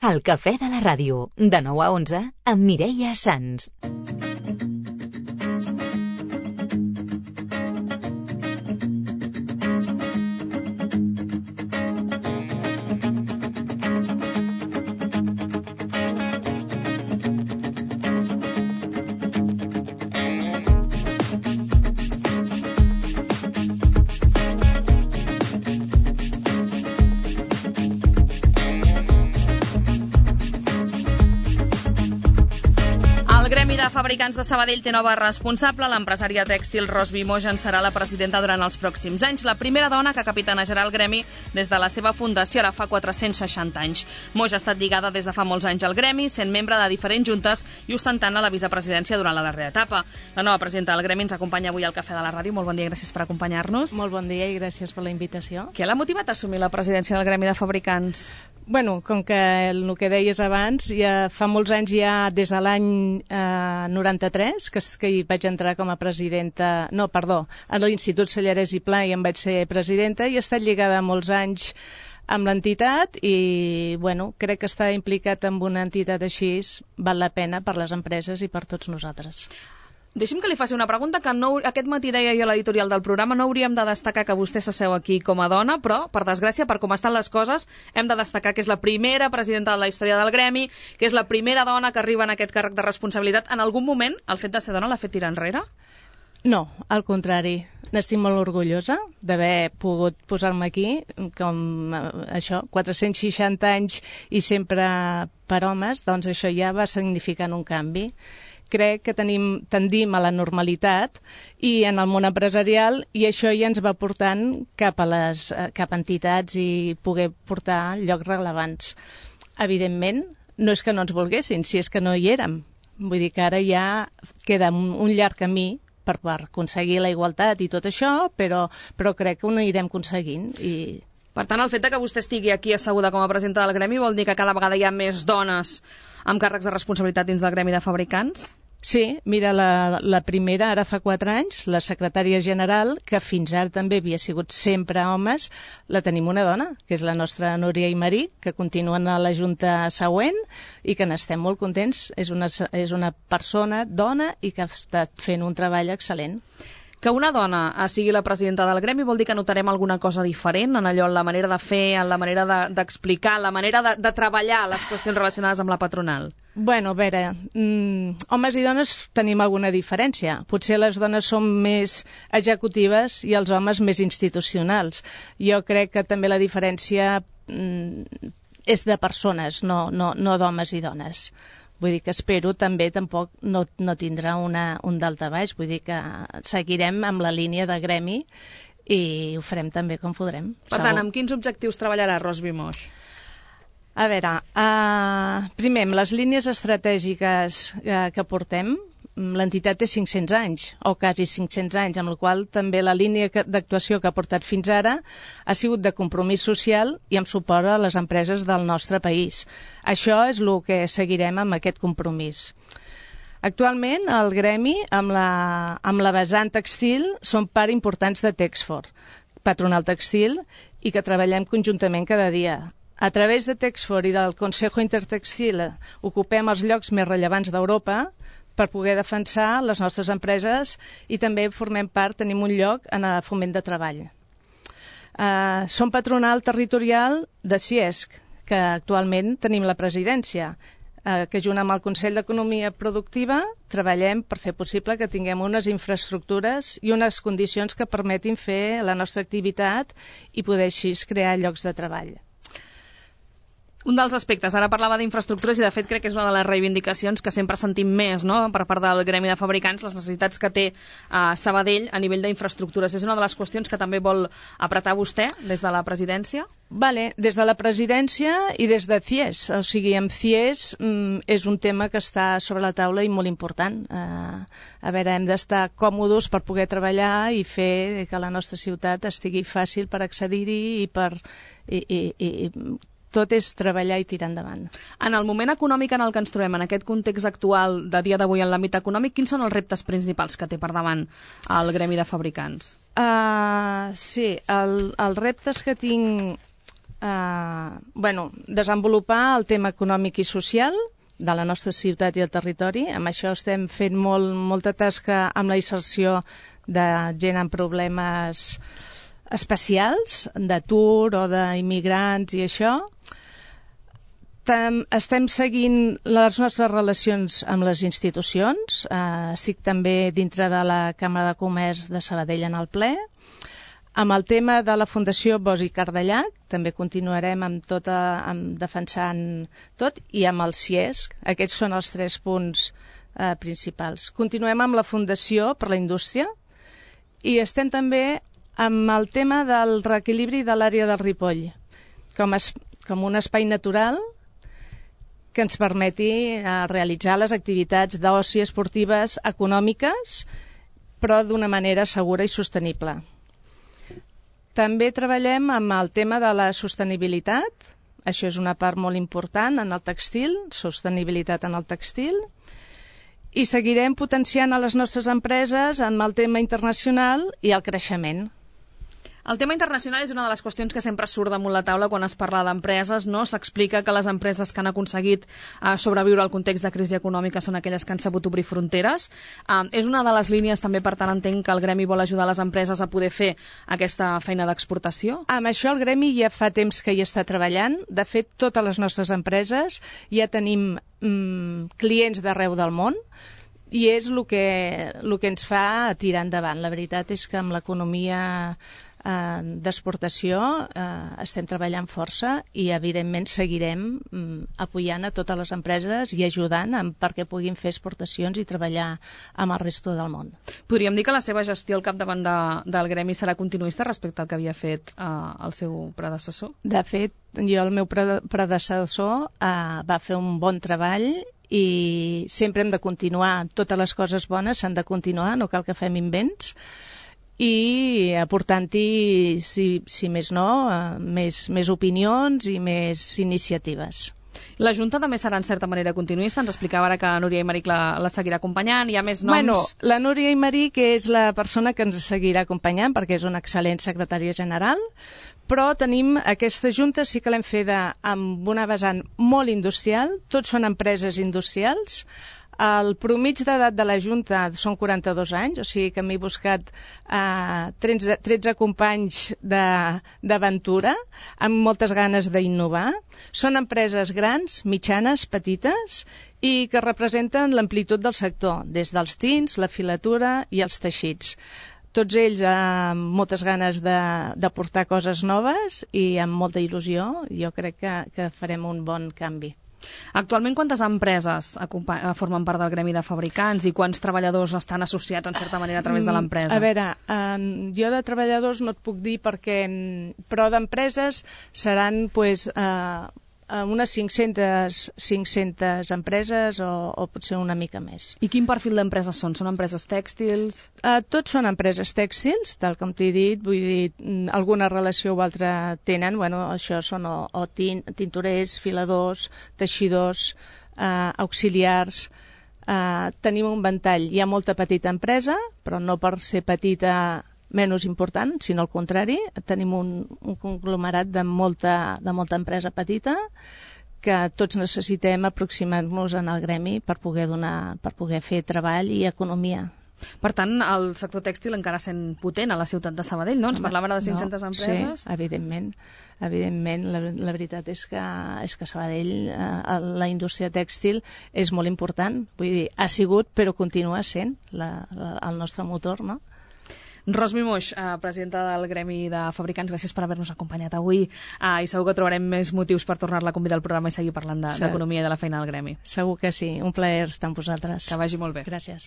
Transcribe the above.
El cafè de la ràdio, de 9 a 11, amb Mireia Sans. De Fabricants de Sabadell té nova responsable. L'empresària tèxtil Rosby Moix en serà la presidenta durant els pròxims anys. La primera dona que capitanejarà el gremi des de la seva fundació, ara fa 460 anys. Moix ha estat lligada des de fa molts anys al gremi, sent membre de diferents juntes i ostentant la vicepresidència durant la darrera etapa. La nova presidenta del gremi ens acompanya avui al Cafè de la Ràdio. Molt bon dia, gràcies per acompanyar-nos. Molt bon dia i gràcies per la invitació. Què l'ha motivat a assumir la presidència del gremi de fabricants? Bueno, com que el que deies abans, ja fa molts anys, ja des de l'any 93, que hi vaig entrar com a presidenta, a l'Institut Sellarès i Pla i em vaig ser presidenta, i he estat lligada molts anys amb l'entitat i, bueno, crec que estar implicat en una entitat així val la pena per les empreses i per tots nosaltres. Deixi'm que li faci una pregunta que aquest matí deia jo a l'editorial del programa. No hauríem de destacar que vostè s'asseu aquí com a dona, però, per desgràcia, per com estan les coses, hem de destacar que és la primera presidenta de la història del gremi, que és la primera dona que arriba en aquest càrrec de responsabilitat. En algun moment, el fet de ser dona l'ha fet tirar enrere? No, al contrari. N'estic molt orgullosa d'haver pogut posar-me aquí, com això, 460 anys i sempre per homes, doncs això ja va significant un canvi. Crec que tendim a la normalitat i en el món empresarial, i això ja ens va portant cap a entitats i poder portar llocs rellevants. Evidentment, no és que no ens volguessin, si és que no hi érem. Vull dir que ara ja queda un llarg camí per aconseguir la igualtat i tot això, però crec que ho anirem aconseguint. Per tant, el fet que vostè estigui aquí asseguda com a presidenta del gremi vol dir que cada vegada hi ha més dones amb càrrecs de responsabilitat dins del gremi de fabricants? Sí, mira, la primera, ara fa 4 anys, la secretària general, que fins ara també havia sigut sempre homes, la tenim una dona, que és la nostra Núria Imerí, que continuen a la junta següent i que n'estem molt contents. És una persona, dona, i que ha estat fent un treball excel·lent. Que una dona sigui la presidenta del gremi vol dir que notarem alguna cosa diferent en allò, en la manera de fer, en la manera d'explicar, en la manera de treballar les qüestions relacionades amb la patronal? Bueno, a veure, homes i dones tenim alguna diferència. Potser les dones som més executives i els homes més institucionals. Jo crec que també la diferència és de persones, no d'homes i dones. Vull dir que espero també tampoc no tindrà un daltabaix. Vull dir que seguirem amb la línia de gremi i ho farem també com podrem. Per tant, amb quins objectius treballarà Rosby Moix? A veure, primer, amb les línies estratègiques que portem, l'entitat té 500 anys, o quasi 500 anys, amb la qual també la línia d'actuació que ha portat fins ara ha sigut de compromís social i amb suport a les empreses del nostre país. Això és el que seguirem amb aquest compromís. Actualment, el gremi, amb la vessant textil, són part importants de Texfor, patronal textil, i que treballem conjuntament cada dia. A través de Texfor i del Consejo Intertextil ocupem els llocs més rellevants d'Europa per poder defensar les nostres empreses i també formem part, tenim un lloc en el foment de treball. Som patronal territorial de CIESC, que actualment tenim la presidència, que junt amb el Consell d'Economia Productiva treballem per fer possible que tinguem unes infraestructures i unes condicions que permetin fer la nostra activitat i poder així crear llocs de treball. Un dels aspectes, ara parlava d'infraestructures i de fet crec que és una de les reivindicacions que sempre sentim més, no?, per part del gremi de fabricants, les necessitats que té Sabadell a nivell d'infraestructures. És una de les qüestions que també vol apretar vostè des de la presidència? Vale, des de la presidència i des de CIES. O sigui, amb CIES és un tema que està sobre la taula i molt important. A veure, hem d'estar còmodes per poder treballar i fer que la nostra ciutat estigui fàcil per accedir-hi i tot és treballar i tirar endavant. En el moment econòmic en el que ens trobem, en aquest context actual de dia d'avui en l'àmbit econòmic, quins són els reptes principals que té per davant el gremi de fabricants? Sí, els reptes que tinc desenvolupar el tema econòmic i social de la nostra ciutat i el territori. Amb això estem fent molta tasca amb la inserció de gent amb problemes especials, d'atur o d'immigrants i això. Estem seguint les nostres relacions amb les institucions. Estic també dintre de la Càmera de Comerç de Sabadell en el ple. Amb el tema de la Fundació Bosch i Cardellac també continuarem amb defensant tot, i amb el CIESC. Aquests són els 3 punts principals. Continuem amb la Fundació per la Indústria i estem també amb el tema del reequilibri de l'àrea del Ripoll com un espai natural que ens permeti realitzar les activitats d'oci esportives econòmiques, però d'una manera segura i sostenible. També treballem amb el tema de la sostenibilitat. Això és una part molt important en el tèxtil, sostenibilitat en el tèxtil. I seguirem potenciant a les nostres empreses amb el tema internacional i el creixement. El tema internacional és una de les qüestions que sempre surt damunt la taula quan es parla d'empreses, no? S'explica que les empreses que han aconseguit sobreviure al context de crisi econòmica són aquelles que han sabut obrir fronteres. És una de les línies, també, per tant, entenc que el Gremi vol ajudar les empreses a poder fer aquesta feina d'exportació? Amb això el Gremi ja fa temps que hi està treballant. De fet, totes les nostres empreses ja tenim clients d'arreu del món, i és el que ens fa tirar endavant. La veritat és que amb l'economia d'exportació estem treballant força i evidentment seguirem apoyant a totes les empreses i ajudant perquè puguin fer exportacions i treballar amb el resto del món. Podríem dir que la seva gestió al capdavant del Gremi serà continuista respecte al que havia fet el seu predecessor? De fet, el meu predecessor va fer un bon treball i sempre hem de continuar. Totes les coses bones s'han de continuar, no cal que fem invents, i aportant-hi, si més no, més opinions i més iniciatives. La Junta també serà en certa manera continuista. Ens explicava ara que Núria Aymeric la seguirà acompanyant. Hi ha més noms? Bueno, la Núria Aymeric és la persona que ens seguirà acompanyant perquè és una excel·lent secretària general, però tenim aquesta Junta, sí que l'hem feta amb una vessant molt industrial. Tots són empreses industrials. El promig d'edat de la Junta són 42 anys, o sigui que m'he buscat 13 companys d'aventura amb moltes ganes d'innovar. Són empreses grans, mitjanes, petites i que representen l'amplitud del sector, des dels tints, la filatura i els teixits. Tots ells amb moltes ganes d'aportar coses noves i amb molta il·lusió. Jo crec que farem un bon canvi. Actualment, quantes empreses formen part del Gremi de Fabricants i quants treballadors estan associats, en certa manera, a través de l'empresa? A veure, jo de treballadors no et puc dir però d'empreses seran unes 500 empreses o potser una mica més. I quin perfil d'empreses són? Són empreses tèxtils? Tots són empreses tèxtils, tal com t'he dit, vull dir, alguna relació o altra tenen. Bueno, això són o tintorers, filadors, teixidors, auxiliars. Tenim un ventall. Hi ha molta petita empresa, però no per ser petita menys important, sinó al contrari. Tenim un conglomerat de molta empresa petita que tots necessitem aproximar-nos en el Gremi per poder fer treball i economia. Per tant, el sector tèxtil encara sent potent a la ciutat de Sabadell, no? Ens parlaven de 500 empreses. Sí, evidentment. La veritat és que Sabadell, la indústria tèxtil és molt important. Vull dir, ha sigut, però continua sent el nostre motor, no? Ros Mimoix, presidenta del Gremi de Fabricants, gràcies per haver-nos acompanyat avui i segur que trobarem més motius per tornar-la a convidar al programa i seguir parlant d'economia i de la feina del Gremi. Segur que sí, un plaer estar amb vosaltres. Que vagi molt bé. Gràcies.